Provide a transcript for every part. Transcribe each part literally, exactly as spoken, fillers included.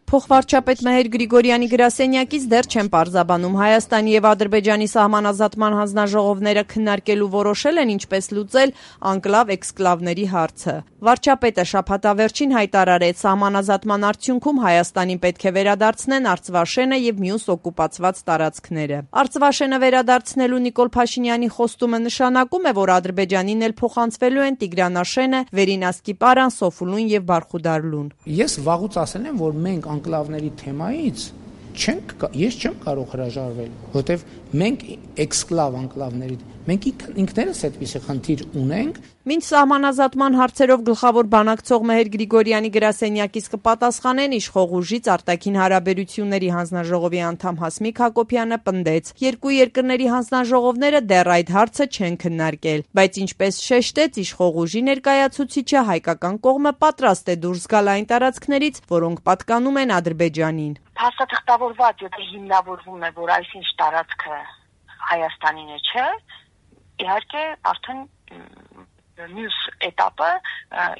Փոխվարչապետ Մեհեր Գրիգորյանի գրասենյակից դեռ չեն պարզաբանում Հայաստանի եւ Ադրբեջանի սահմանազատման հանձնաժողովները քննարկելու որոշել են ինչպես լուծել անկլավ-էքսկլավների հարցը։ Վարչապետը շաբաթավերջին հայտարարեց, սահմանազատման արդյունքում Հայաստանին պետք է վերադարձնեն Արցվաշենը եւ մյուս օկուպացված տարածքները։ Արցվաշենը վերադարձնելու Նիկոլ Փաշինյանի խոստումը նշանակում է, որ Ադրբեջանին էլ փոխանցվելու են Տիգրանաշենը, Վերինասկիպարան, Սոֆուլուն եւ Բարխուդարլուն։ Ես վաղուց ասել եմ, որ մենք անկլավների թեմայից չենք, ես չեմ կարող հրաժարվել, որտեվ մենք էքսկլավ անկլավների, մենք ինքներս այդպիսի խնդիր ունենք։ Մինչ սահմանազատման հարցերով գլխավոր բանակցող Մեհեր Գրիգորյանի գրասենյակից կպատասխանեն իշխող ուժից արտաքին հարաբերությունների հանձնաժողովի անդամ Հասմիկ Հակոբյանը պնդեց, երկու երկրների հանձնաժողովները դեռ այդ հարցը չեն քննարկել, բայց ինչպես շեշտեց իշխող ուժի ներկայացուցիչը, հայկական կողմը պատրաստ է դուրս գալ այն տարածքներից, որոնք պատկանում են Ադրբեջանին։ Փաստաթղթավորված, եթե հիմնավորվում է, որ այսինչ տարածքը Հայաստանին է, չէ, իհարկե արդեն մյուս էտապը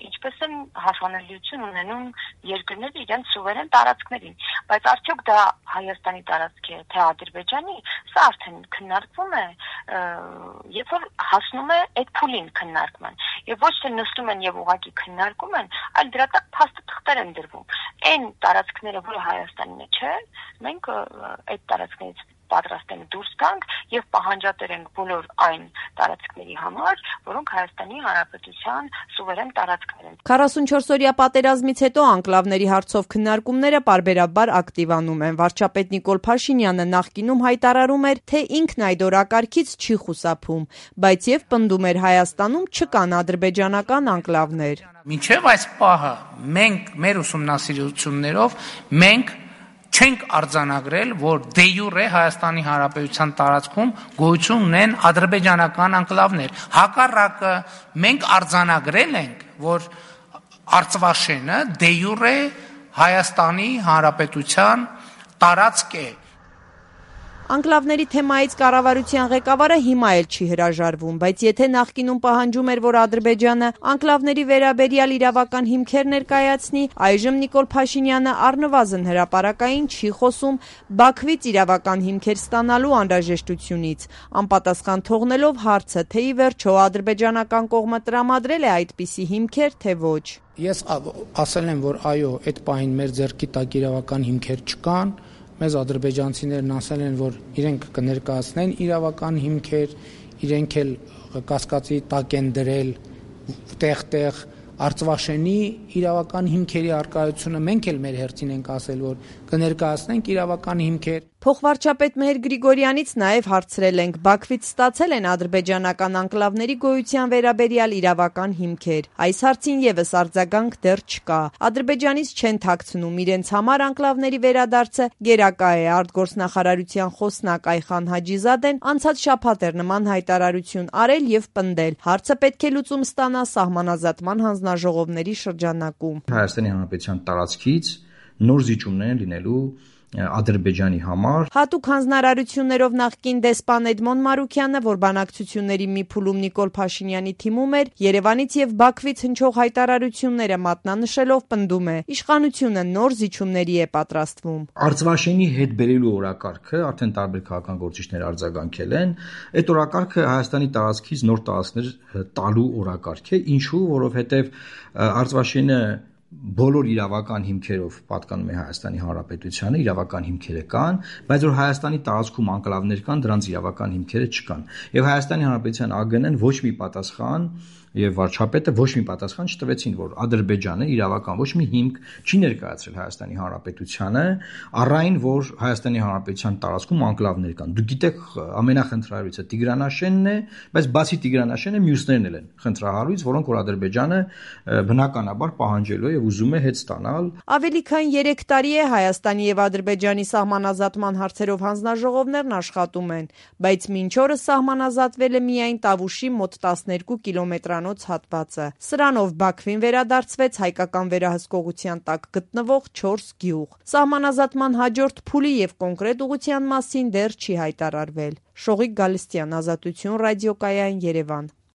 ինչպես են հասանելիություն ունենում երկրները իրենց սուվերեն տարածքներին, բայց արդյոք դա Հայաստանի տարածք է, թե Ադրբեջանի, սա արդեն քննարկվում է, երբ որ հասնում է այդ փուլին քննարկման, եւ ոչ թե նստում են եւ ուղղակի քննարկում են, այլ դրա տակ փաստաթղթեր են դրվում։ Այն տարածքները, որը Հայաստանին է, չէ, մենք այդ տարածքներից պատրաստ ենք դուրս գանք եւ պահանջատեր ենք բոլոր այն տարածքների համար, որոնք Հայաստանի Հանրապետության սուվերեն տարածքներ են։ քառասունչորս-օրյա պատերազմից հետո անկլավների հարցով քննարկումները պարբերաբար ակտիվանում են։ Վարչապետ Նիկոլ Փաշինյանը նախկինում հայտարարում էր, թե ինքն այդ օրակարգից չի խուսափում, բայց եւ պնդում էր Հայաստանում չկան ադրբեջանական անկլավներ։ Մինչեւ այս պահը մենք մեր ուսումնասիրություններով մենք չենք արձանագրել, որ դե յուրե Հայաստանի Հանրապետության տարածքում գոյություն ունեն ադրբեջանական անկլավներ։ Հակառակը մենք արձանագրել ենք, որ Արցվաշենը դե յուրե Հայաստանի Հանրապետության տարածք է։ Անկլավների թեմայից կառավարության ղեկավարը հիմա էլ չի հրաժարվում, բայց եթե նախկինում պահանջում էր, որ Ադրբեջանը անկլավների վերաբերյալ իրավական հիմքեր ներկայացնի, այժմ Նիկոլ Փաշինյանը առնվազն հրապարակային չի խոսում Բաքվից իրավական հիմքեր ստանալու անհրաժեշտությունից, անպատասխան թողնելով հարցը, թե ի վերջո ադրբեջանական կողմը տրամադրել է այդպիսի հիմքեր, թե ոչ։ Ես ասել եմ, որ այո, այդ պահին մեր ձեռքի տակ իրավական հիմքեր չկան։ Մեզ ադրբեջանցիներն ասել են, որ իրենք կներկայացնեն իրավական հիմքեր, իրենք էլ կասկածի տակ են դրել տեղ-տեղ Արցվաշենի իրավական հիմքերի արկայությունը, մենք էլ մեր հերթին ենք ասել, որ կներկայացնենք իրավական հիմքեր։ Փոխվարչապետ Մեհեր Գրիգորյանից նաև հարցրել ենք, Բաքվից ստացել են ադրբեջանական անկլավների գոյության վերաբերյալ իրավական հիմքեր։ Այս հարցին եւս արձագանք դեռ չկա։ Ադրբեջանից չեն թաքցնում իրենց համար անկլավների վերադարձը գերակա է։ Արտգործնախարարության խոսնակ Այխան Հաջիզադեն անցած շաբաթ էր նման հայտարարություն արել եւ պնդել, հարցը պետք է լուծում ստանա սահմանազատման հանձնաժողովների շրջանակում։ Հայաստանի Հանրապետության տարածքից նոր զիջումներ լինելու Ադրբեջանի համար։ Հատուկ հանձնարարություններով նախկին դեսպան Էդմոն Մարուքյանը, որ բանակցությունների մի փուլում Նիկոլ Փաշինյանի թիմում էր, Երևանից եւ Բաքվից հնչող հայտարարությունները մատնանշելով պնդում է, իշխանությունը նոր զիջումների է պատրաստվում։ Արցվաշենի հետ բերելու օրակարգը արդեն տարբեր քաղաքական գործիչներ արձագանքել են։ Այդ օրակարգը Հայաստանի տարածքից նոր տարածքներ տալու օրակարգ է, ինչու, որովհետեւ Արցվաշենը բոլոր իրավական հիմքերով պատկանում է Հայաստանի Հանրապետությանը, իրավական հիմքերը կան, բայց որ Հայաստանի տարածքում անկլավներ կան, դրանց իրավական հիմքերը չկան։ Եվ Հայաստանի Հանրապետության ԱԳՆ-ն ոչ մի պատասխան եւ վարչապետը ոչ մի պատասխան չտվեցին, որ Ադրբեջանը իրավական ոչ մի հիմք չի ներկայացրել Հայաստանի Հանրապետությանը, առայն որ Հայաստանի Հանրապետության տարածքում անկլավներ կան։ Դուք գիտեք, ամենախնդրահարույցը Տիգրանաշենն է, բայց բացի Տիգրանաշենը մյուսներն էլ են խնդրահարույց, որոնք որ Ադրբեջանը բնականաբար պահանջելու է եւ ուզում է հետ ստանալ։ Ավելի քան երեք տարի է Հայաստանի եւ Ադրբեջանի սահմանազատման հարցերով հանձնաժողովներն աշխատում են, բայց մինչ օրս սահմանազատվել է միայն Տավուշի մոտ տասներկու կիլոմետրանոց հատվածը։ Սրանով Բաքվին վերադարձվեց հայկական վերահսկողության տակ գտնվող չորս գյուղ։ Սահմանազատման հաջորդ փուլի եւ կոնկրետ ուղղության մասին դեռ չի հայտարարվել։ Շողիկ Գալստյան, Ազատություն ռադիոկայան, Երևան։